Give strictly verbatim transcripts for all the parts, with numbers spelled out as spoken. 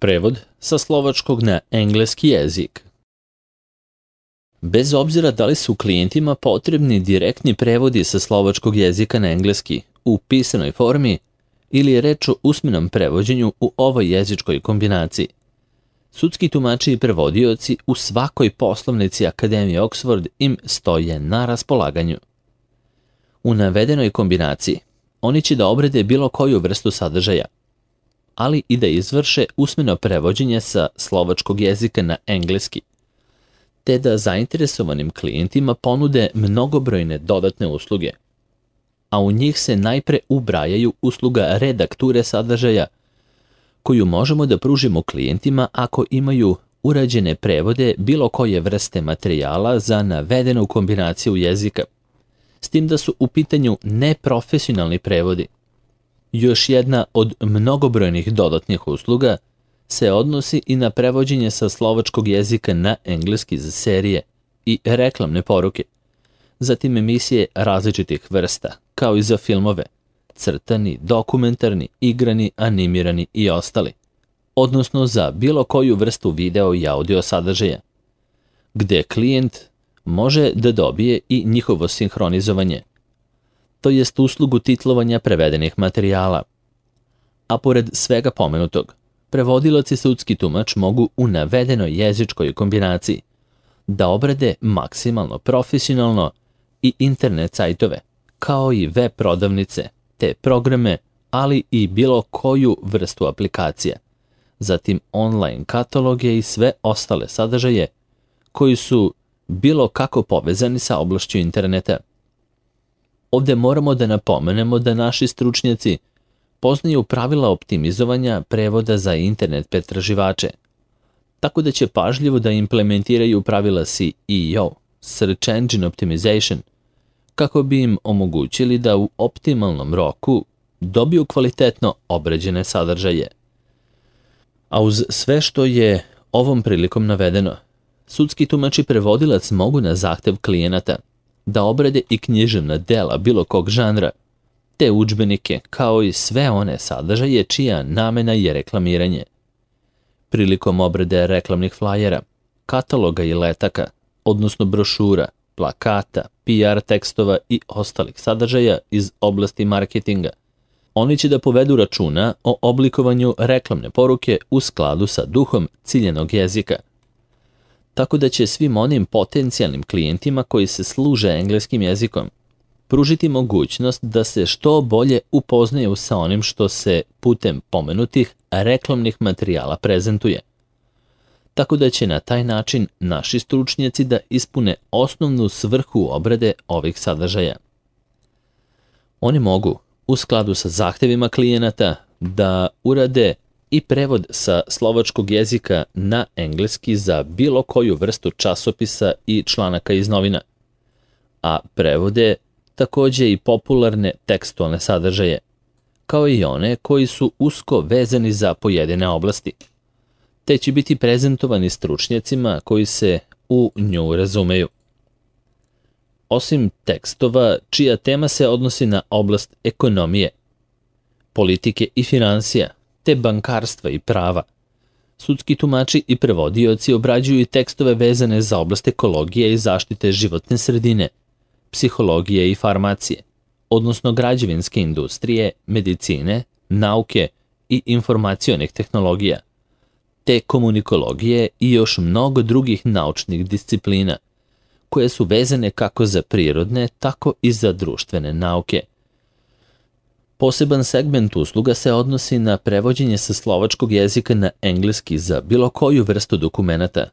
Prevod sa slovačkog na engleski jezik. Bez obzira da li su klijentima potrebni direktni prevodi sa slovačkog jezika na engleski u pisanoj formi ili je reč o usmenom prevođenju u ovoj jezičkoj kombinaciji, sudski tumači i prevodioci u svakoj poslovnici Akademije Oxford im stoje na raspolaganju. U navedenoj kombinaciji oni će da obrade bilo koju vrstu sadržaja, ali i da izvrše usmeno prevođenje sa slovačkog jezika na engleski, te da zainteresovanim klijentima ponude mnogobrojne dodatne usluge, a u njih se najpre ubrajaju usluga redakture sadržaja, koju možemo da pružimo klijentima ako imaju urađene prevode bilo koje vrste materijala za navedenu kombinaciju jezika, s tim da su u pitanju neprofesionalni prevodi. Još jedna od mnogobrojnih dodatnih usluga se odnosi i na prevođenje sa slovačkog jezika na engleski za serije i reklamne poruke, zatim emisije različitih vrsta, kao i za filmove, crtani, dokumentarni, igrani, animirani i ostali, odnosno za bilo koju vrstu video i audio sadržaja, gde klijent može da dobije i njihovo sinhronizovanje, to jest uslugu titlovanja prevedenih materijala. A pored svega pomenutog, prevodilac i sudski tumač mogu u navedenoj jezičkoj kombinaciji da obrade maksimalno profesionalno i internet sajtove, kao i web prodavnice, te programe, ali i bilo koju vrstu aplikacija, zatim online kataloge i sve ostale sadržaje koji su bilo kako povezani sa oblašću interneta. Ovde moramo da napomenemo da naši stručnjaci poznaju pravila optimizovanja prevoda za internet pretraživače, tako da će pažljivo da implementiraju pravila S E O, Search Engine Optimization, kako bi im omogućili da u optimalnom roku dobiju kvalitetno obrađene sadržaje. A uz sve što je ovom prilikom navedeno, sudski tumač i prevodilac mogu na zahtev klijenata da obrade i književna dela bilo kog žanra, te udžbenike, kao i sve one sadržaje čija namena je reklamiranje. Prilikom obrade reklamnih flajera, kataloga i letaka, odnosno brošura, plakata, P R tekstova i ostalih sadržaja iz oblasti marketinga, oni će da povedu računa o oblikovanju reklamne poruke u skladu sa duhom ciljenog jezika, tako da će svim onim potencijalnim klijentima koji se služe engleskim jezikom pružiti mogućnost da se što bolje upoznaju sa onim što se putem pomenutih reklamnih materijala prezentuje, tako da će na taj način naši stručnjaci da ispune osnovnu svrhu obrade ovih sadržaja. Oni mogu, u skladu sa zahtevima klijenata, da urade i prevod sa slovačkog jezika na engleski za bilo koju vrstu časopisa i članaka iz novina, a prevode takođe i popularne tekstualne sadržaje, kao i one koji su usko vezani za pojedine oblasti, te će biti prezentovani stručnjacima koji se u nju razumeju. Osim tekstova čija tema se odnosi na oblast ekonomije, politike i finansija, te bankarstva i prava, sudski tumači i prevodioci obrađuju i tekstove vezane za oblast ekologije i zaštite životne sredine, psihologije i farmacije, odnosno građevinske industrije, medicine, nauke i informacionih tehnologija, te komunikologije i još mnogo drugih naučnih disciplina, koje su vezane kako za prirodne, tako i za društvene nauke. Poseban segment usluga se odnosi na prevođenje sa slovačkog jezika na engleski za bilo koju vrstu dokumenata.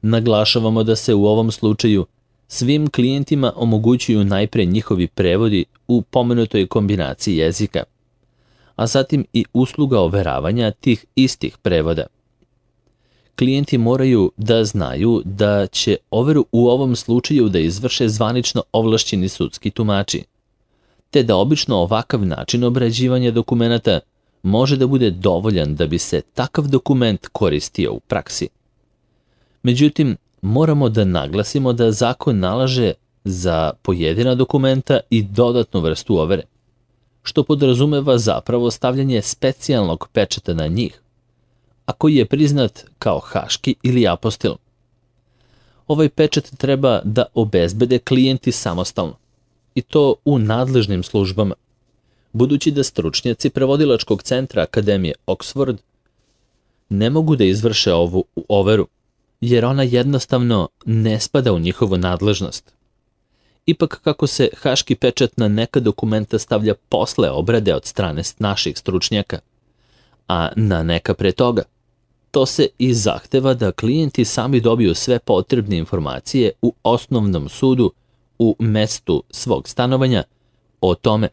Naglašavamo da se u ovom slučaju svim klijentima omogućuju najpre njihovi prevodi u pomenutoj kombinaciji jezika, a zatim i usluga overavanja tih istih prevoda. Klijenti moraju da znaju da će overu u ovom slučaju da izvrše zvanično ovlašćeni sudski tumači, te da obično ovakav način obrađivanja dokumenata može da bude dovoljan da bi se takav dokument koristio u praksi. Međutim, moramo da naglasimo da zakon nalaže za pojedina dokumenta i dodatnu vrstu overe, što podrazumeva zapravo stavljanje specijalnog pečata na njih, a koji je priznat kao haški ili apostil. Ovaj pečat treba da obezbede klijenti samostalno, i to u nadležnim službama, budući da stručnjaci prevodilačkog centra Akademije Oxford ne mogu da izvrše ovu overu, jer ona jednostavno ne spada u njihovu nadležnost. Ipak, kako se haški pečat na neka dokumenta stavlja posle obrade od strane naših stručnjaka, a na neka pre toga, to se i zahteva da klijenti sami dobiju sve potrebne informacije u osnovnom sudu u mestu svog stanovanja o tome,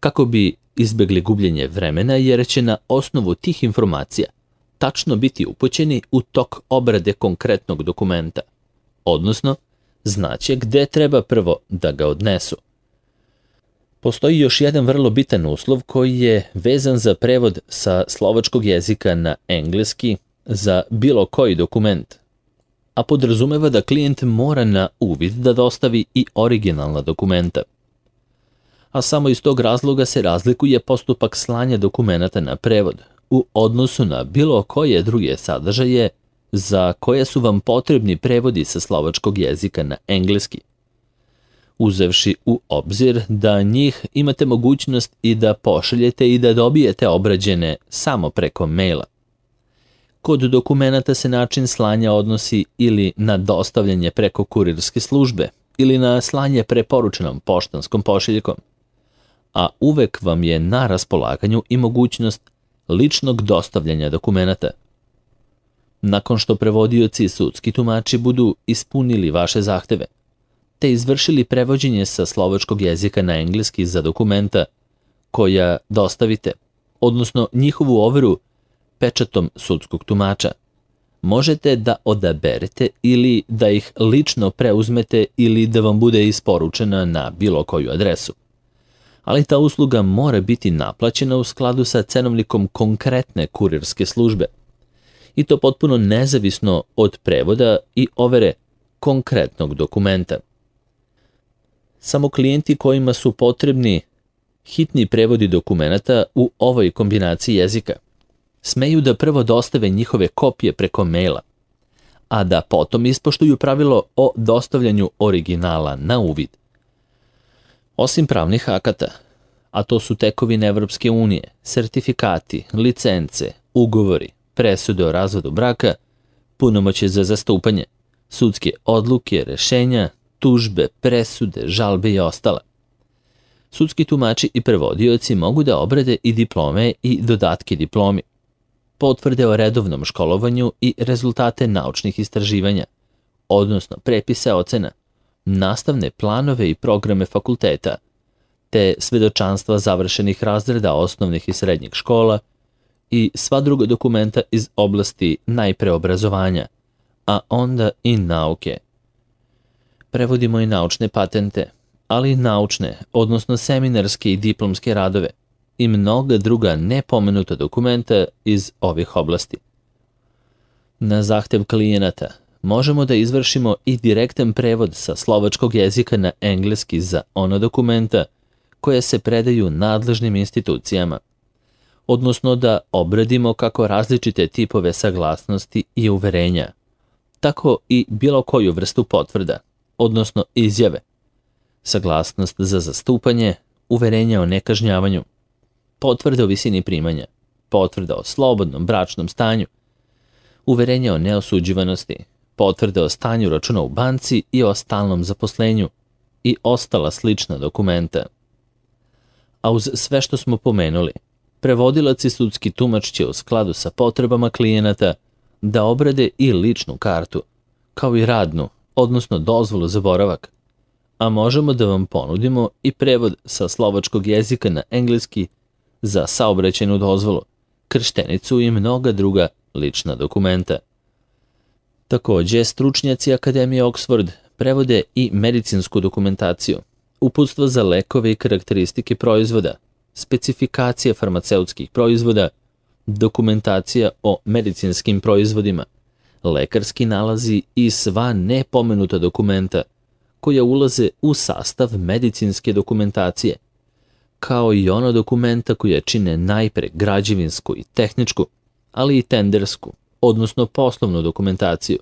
kako bi izbegli gubljenje vremena, jer će na osnovu tih informacija tačno biti upućeni u tok obrade konkretnog dokumenta, odnosno znaće gde treba prvo da ga odnesu. Postoji još jedan vrlo bitan uslov koji je vezan za prevod sa slovačkog jezika na engleski za bilo koji dokument, a podrazumeva da klijent mora na uvid da dostavi i originalna dokumenta. A samo iz tog razloga se razlikuje postupak slanja dokumenata na prevod u odnosu na bilo koje druge sadržaje za koje su vam potrebni prevodi sa slovačkog jezika na engleski, uzevši u obzir da njih imate mogućnost i da pošaljete i da dobijete obrađene samo preko maila. Kod dokumenata se način slanja odnosi ili na dostavljanje preko kurirske službe ili na slanje preporučenom poštanskom pošiljkom, a uvek vam je na raspolaganju i mogućnost ličnog dostavljanja dokumenata. Nakon što prevodioci i sudski tumači budu ispunili vaše zahteve, te izvršili prevođenje sa slovačkog jezika na engleski za dokumenta koja dostavite, odnosno njihovu overu pečatom sudskog tumača, možete da odaberete ili da ih lično preuzmete ili da vam bude isporučena na bilo koju adresu. Ali ta usluga mora biti naplaćena u skladu sa cenovnikom konkretne kurirske službe, i to potpuno nezavisno od prevoda i overe konkretnog dokumenta. Samo klijenti kojima su potrebni hitni prevodi dokumenata u ovoj kombinaciji jezika smeju da prvo dostave njihove kopije preko maila, a da potom ispoštuju pravilo o dostavljanju originala na uvid. Osim pravnih akata, a to su tekovine Evropske unije, sertifikati, licence, ugovori, presude o razvodu braka, punomoćje za zastupanje, sudske odluke, rešenja, tužbe, presude, žalbe i ostala. Sudski tumači i prevodioci mogu da obrade i diplome i dodatke diplomi, potvrde o redovnom školovanju i rezultate naučnih istraživanja, odnosno prepise ocena, nastavne planove i programe fakulteta, te svedočanstva završenih razreda osnovnih i srednjih škola i sva druga dokumenta iz oblasti najpre obrazovanja, a onda i nauke. Prevodimo i naučne patente, ali i naučne, odnosno seminarske i diplomske radove i mnoga druga nepomenuta dokumenta iz ovih oblasti. Na zahtev klijenata možemo da izvršimo i direktan prevod sa slovačkog jezika na engleski za ona dokumenta koje se predaju nadležnim institucijama, odnosno da obradimo kako različite tipove saglasnosti i uverenja, tako i bilo koju vrstu potvrda, odnosno izjave, saglasnost za zastupanje, uverenja o nekažnjavanju, potvrda o visini primanja, potvrda o slobodnom bračnom stanju, uverenja o neosuđivanosti, potvrda o stanju računa u banci i o stalnom zaposlenju i ostala slična dokumenta. A uz sve što smo pomenuli, prevodilac i sudski tumač će u skladu sa potrebama klijenata da obrade i ličnu kartu, kao i radnu, odnosno dozvolu za boravak, a možemo da vam ponudimo i prevod sa slovačkog jezika na engleski za saobraćajnu dozvolu, krštenicu i mnoga druga lična dokumenta. Takođe, stručnjaci Akademije Oxford prevode i medicinsku dokumentaciju, uputstvo za lekove i karakteristike proizvoda, specifikacije farmaceutskih proizvoda, dokumentacija o medicinskim proizvodima, lekarski nalazi i sva nepomenuta dokumenta koja ulaze u sastav medicinske dokumentacije, kao i ona dokumenta koja čine najpre građevinsku i tehničku, ali i tendersku, odnosno poslovnu dokumentaciju.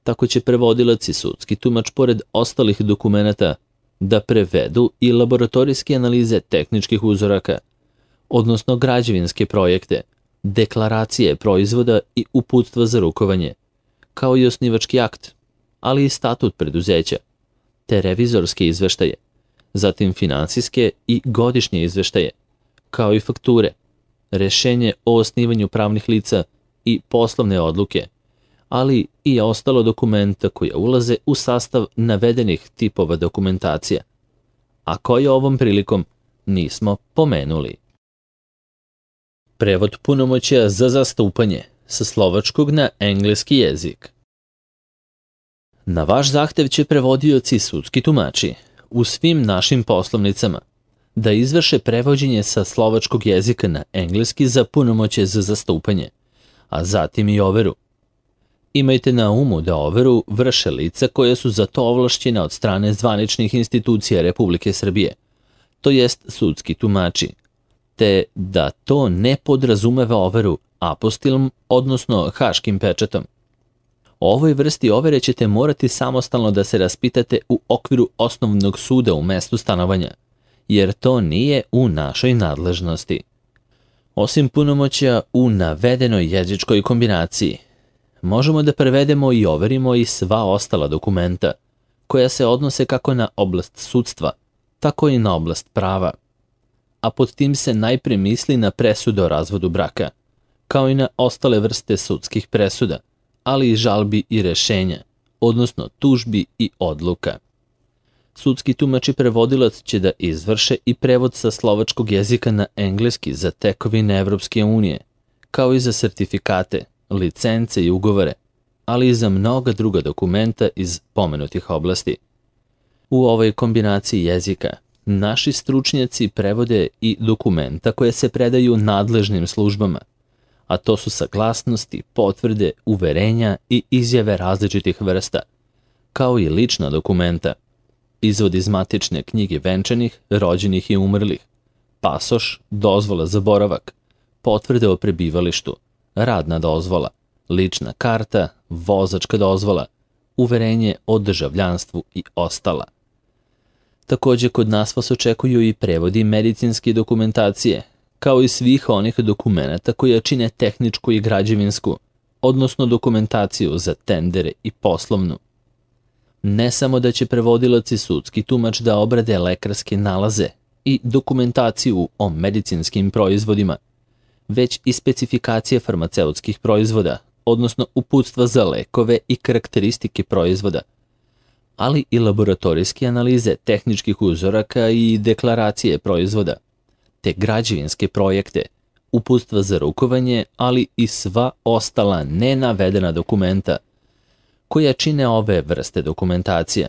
Tako će prevodilac i sudski tumač pored ostalih dokumenata da prevedu i laboratorijske analize tehničkih uzoraka, odnosno građevinske projekte, deklaracije proizvoda i uputstva za rukovanje, kao i osnivački akt, ali i statut preduzeća, te revizorske izveštaje, zatim finansijske i godišnje izveštaje, kao i fakture, rešenje o osnivanju pravnih lica i poslovne odluke, ali i ostalo dokumenta koja ulaze u sastav navedenih tipova dokumentacija, a koje ovom prilikom nismo pomenuli. Prevod punomoćja za zastupanje sa slovačkog na engleski jezik. Na vaš zahtev će prevodioci i sudski tumači u svim našim poslovnicama da izvrše prevođenje sa slovačkog jezika na engleski za punomoćje za zastupanje, a zatim i overu. Imajte na umu da overu vrše lica koja su za to ovlašćena od strane zvaničnih institucija Republike Srbije, to jest sudski tumači, te da to ne podrazumeva overu apostilom, odnosno haškim pečatom. O ovoj vrsti overe ćete morati samostalno da se raspitate u okviru osnovnog suda u mestu stanovanja, jer to nije u našoj nadležnosti. Osim punomoćja u navedenoj jezičkoj kombinaciji, možemo da prevedemo i overimo i sva ostala dokumenta, koja se odnose kako na oblast sudstva, tako i na oblast prava. A pod tim se najpre misli na presudu o razvodu braka, kao i na ostale vrste sudskih presuda, ali i žalbi i rešenja, odnosno tužbi i odluka. Sudski tumač i prevodilac će da izvrše i prevod sa slovačkog jezika na engleski za tekovine Evropske unije, kao i za sertifikate, licence i ugovore, ali i za mnoga druga dokumenta iz pomenutih oblasti. U ovoj kombinaciji jezika naši stručnjaci prevode i dokumenta koje se predaju nadležnim službama, a to su saglasnosti, potvrde, uverenja i izjave različitih vrsta, kao i lična dokumenta, izvod iz matične knjige venčanih, rođenih i umrlih, pasoš, dozvola za boravak, potvrde o prebivalištu, radna dozvola, lična karta, vozačka dozvola, uverenje o državljanstvu i ostala. Takođe, kod nas vas očekuju i prevodi medicinske dokumentacije, kao i svih onih dokumenata koja čine tehničku i građevinsku, odnosno dokumentaciju za tendere i poslovnu. Ne samo da će prevodilac i sudski tumač da obrade lekarske nalaze i dokumentaciju o medicinskim proizvodima, već i specifikacije farmaceutskih proizvoda, odnosno uputstva za lekove i karakteristike proizvoda, ali i laboratorijske analize tehničkih uzoraka i deklaracije proizvoda, te građevinske projekte, uputstva za rukovanje, ali i sva ostala nenavedena dokumenta koja čine ove vrste dokumentacija.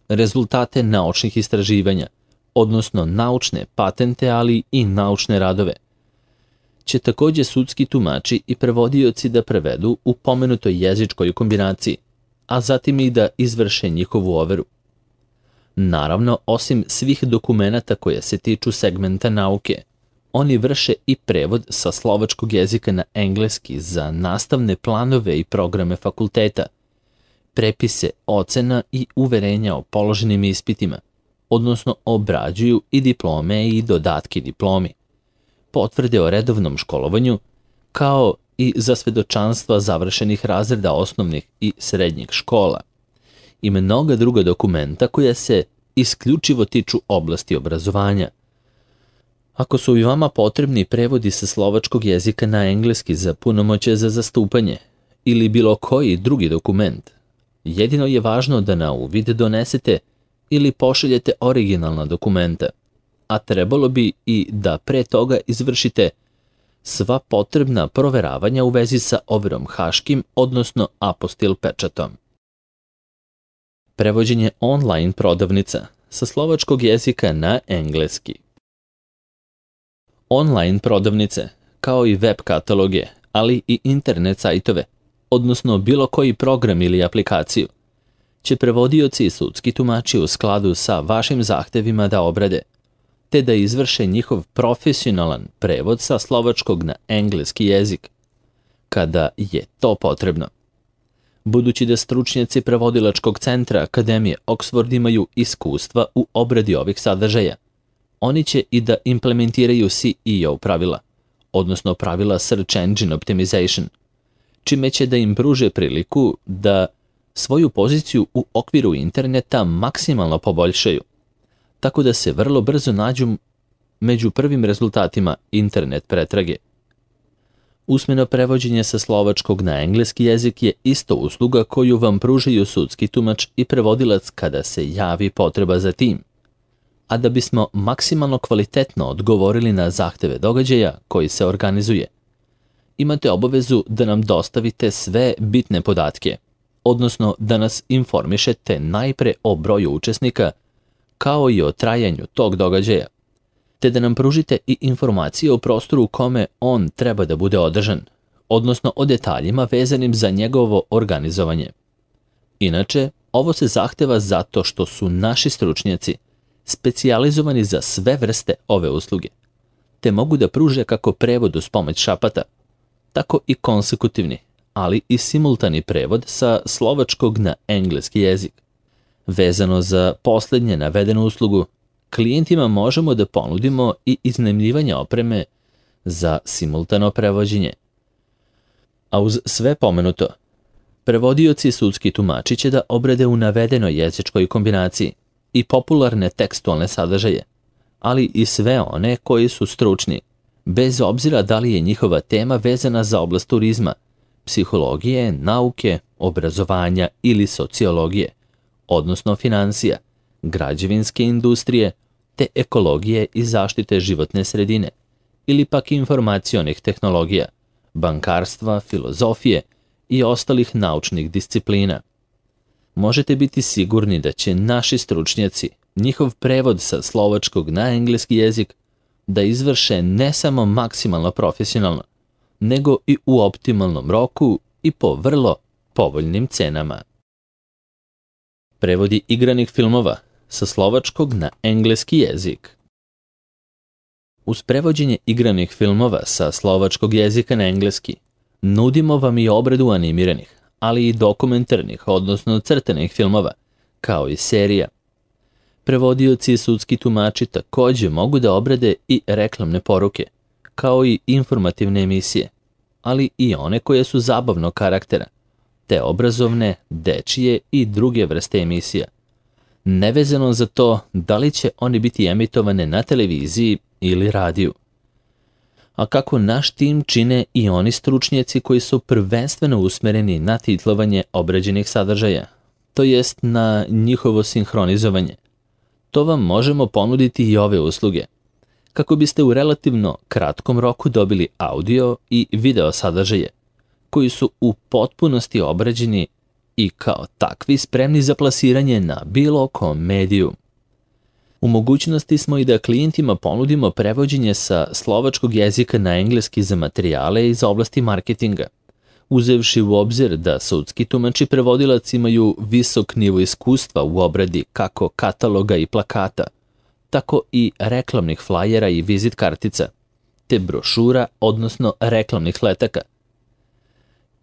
Rezultate naučnih istraživanja, odnosno naučne patente, ali i naučne radove, će takođe sudski tumači i prevodioci da prevedu u pomenutoj jezičkoj kombinaciji, a zatim i da izvrše njihovu overu. Naravno, osim svih dokumenata koje se tiču segmenta nauke, oni vrše i prevod sa slovačkog jezika na engleski za nastavne planove i programe fakulteta, prepise ocena i uverenja o položenim ispitima, odnosno obrađuju i diplome i dodatke diplomi, potvrde o redovnom školovanju, kao i za svedočanstva završenih razreda osnovnih i srednjih škola, i mnoga druga dokumenta koja se isključivo tiču oblasti obrazovanja. Ako su i vama potrebni prevodi sa slovačkog jezika na engleski za punomoćje za zastupanje ili bilo koji drugi dokument, jedino je važno da na uvid donesete ili pošaljete originalna dokumenta, a trebalo bi i da pre toga izvršite sva potrebna proveravanja u vezi sa overom haškim, odnosno apostil pečatom. Prevođenje online prodavnica sa slovačkog jezika na engleski. Online prodavnice, kao i web kataloge, ali i internet sajtove, odnosno bilo koji program ili aplikaciju, će prevodioci i sudski tumači u skladu sa vašim zahtevima da obrade, te da izvrše njihov profesionalan prevod sa slovačkog na engleski jezik, kada je to potrebno. Budući da stručnjaci prevodilačkog centra Akademije Oxford imaju iskustva u obradi ovih sadržaja, oni će i da implementiraju C E O pravila, odnosno pravila Search Engine Optimization, čime će da im pruže priliku da svoju poziciju u okviru interneta maksimalno poboljšaju, tako da se vrlo brzo nađu među prvim rezultatima internet pretrage. Usmeno prevođenje sa slovačkog na engleski jezik je isto usluga koju vam pružaju sudski tumač i prevodilac kada se javi potreba za tim. A da bismo maksimalno kvalitetno odgovorili na zahteve događaja koji se organizuje, imate obavezu da nam dostavite sve bitne podatke, odnosno da nas informišete najpre o broju učesnika, kao i o trajanju tog događaja, te da nam pružite i informacije o prostoru u kome on treba da bude održan, odnosno o detaljima vezanim za njegovo organizovanje. Inače, ovo se zahteva zato što su naši stručnjaci specijalizovani za sve vrste ove usluge, te mogu da pruže kako prevod uz pomoć šapata, tako i konsekutivni, ali i simultani prevod sa slovačkog na engleski jezik. Vezano za posljednje navedenu uslugu, klijentima možemo da ponudimo i iznajmljivanje opreme za simultano prevođenje. A uz sve pomenuto, prevodioci i sudski tumači će da obrade u navedenoj jezičkoj kombinaciji i popularne tekstualne sadržaje, ali i sve one koji su stručni, bez obzira da li je njihova tema vezana za oblast turizma, psihologije, nauke, obrazovanja ili sociologije, odnosno financija, građevinske industrije, te ekologije i zaštite životne sredine, ili pak informacionih tehnologija, bankarstva, filozofije i ostalih naučnih disciplina. Možete biti sigurni da će naši stručnjaci njihov prevod sa slovačkog na engleski jezik da izvrše ne samo maksimalno profesionalno, nego i u optimalnom roku i po vrlo povoljnim cenama. Prevodi igranih filmova sa slovačkog na engleski jezik. Uz prevođenje igranih filmova sa slovačkog jezika na engleski, nudimo vam i obradu animiranih, ali i dokumentarnih, odnosno crtanih filmova, kao i serija. Prevodioci i sudski tumači takođe mogu da obrade i reklamne poruke, kao i informativne emisije, ali i one koje su zabavnog karaktera, te obrazovne, dečije i druge vrste emisija, nevezano za to da li će oni biti emitovane na televiziji ili radiju. A kako naš tim čine i oni stručnjaci koji su prvenstveno usmereni na titlovanje obrađenih sadržaja, to jest na njihovo sinhronizovanje, to vam možemo ponuditi i ove usluge, kako biste u relativno kratkom roku dobili audio i video sadržaje, koji su u potpunosti obrađeni i kao takvi spremni za plasiranje na bilo kom mediju. U mogućnosti smo i da klijentima ponudimo prevođenje sa slovačkog jezika na engleski za materijale iz oblasti marketinga, uzevši u obzir da sudski tumač i prevodilac imaju visok nivo iskustva u obradi kako kataloga i plakata, tako i reklamnih flajera i vizit kartica, te brošura, odnosno reklamnih letaka,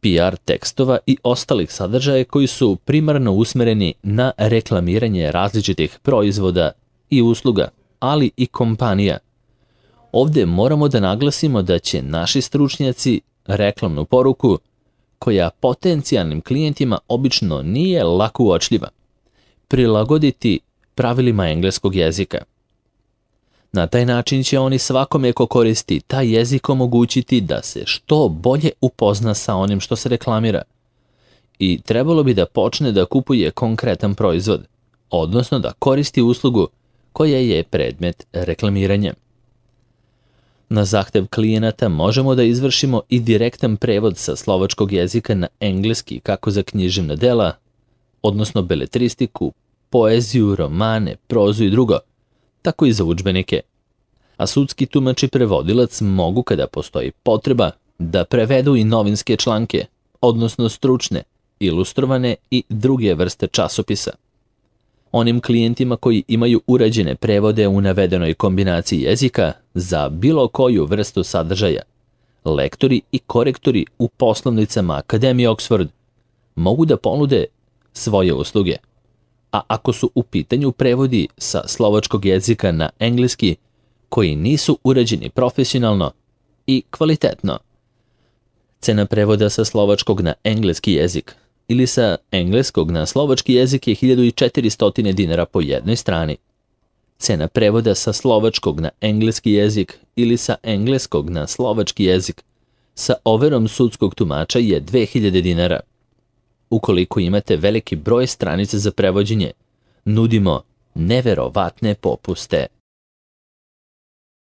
P R tekstova i ostalih sadržaja koji su primarno usmereni na reklamiranje različitih proizvoda i usluga, ali i kompanija. Ovdje moramo da naglasimo da će naši stručnjaci reklamnu poruku, koja potencijalnim klijentima obično nije lako uočljiva, prilagoditi pravilima engleskog jezika. Na taj način će oni svakome ko koristi taj jezik omogućiti da se što bolje upozna sa onim što se reklamira i trebalo bi da počne da kupuje konkretan proizvod, odnosno da koristi uslugu koja je predmet reklamiranja. Na zahtev klijenata možemo da izvršimo i direktan prevod sa slovačkog jezika na engleski kako za književna dela, odnosno beletristiku, poeziju, romane, prozu i drugo, tako i za udžbenike. A sudski tumač i prevodilac mogu, kada postoji potreba, da prevedu i novinske članke, odnosno stručne, ilustrovane i druge vrste časopisa. Onim klijentima koji imaju urađene prevode u navedenoj kombinaciji jezika za bilo koju vrstu sadržaja, lektori i korektori u poslovnicama Akademije Oxford mogu da ponude svoje usluge. A ako su u pitanju prevodi sa slovačkog jezika na engleski koji nisu urađeni profesionalno i kvalitetno, cena prevoda sa slovačkog na engleski jezik ili sa engleskog na slovački jezik je hiljadu četiristo dinara po jednoj strani. Cena prevoda sa slovačkog na engleski jezik ili sa engleskog na slovački jezik sa overom sudskog tumača je dve hiljade dinara. Ukoliko imate veliki broj stranica za prevođenje, nudimo neverovatne popuste.